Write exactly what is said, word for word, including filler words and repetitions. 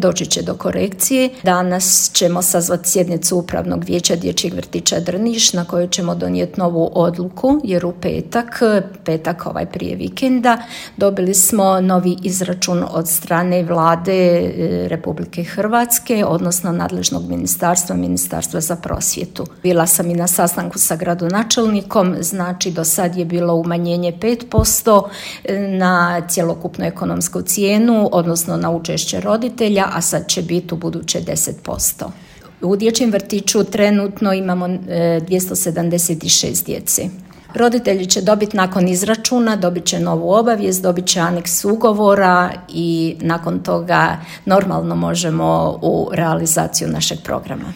Doći će do korekcije. Danas ćemo sazvati sjednicu Upravnog vijeća Dječjeg vrtića Drniš na kojoj ćemo donijeti novu odluku, jer u petak, petak ovaj prije vikenda, dobili smo novi izračun od strane Vlade Republike Hrvatske, odnosno nadležnog ministarstva, Ministarstva za prosvjetu. Bila sam i na sastanku sa gradonačelnikom, znači do sad je bilo umanjenje pet posto na cjelokupnu ekonomsku cijenu, odnosno na učešće roditelja, a sad će biti u buduće deset posto. U dječjem vrtiću trenutno imamo dvjesto sedamdeset šest djece. Roditelji će dobiti nakon izračuna, dobit će novu obavijest, dobit će aneks ugovora i nakon toga normalno možemo u realizaciju našeg programa.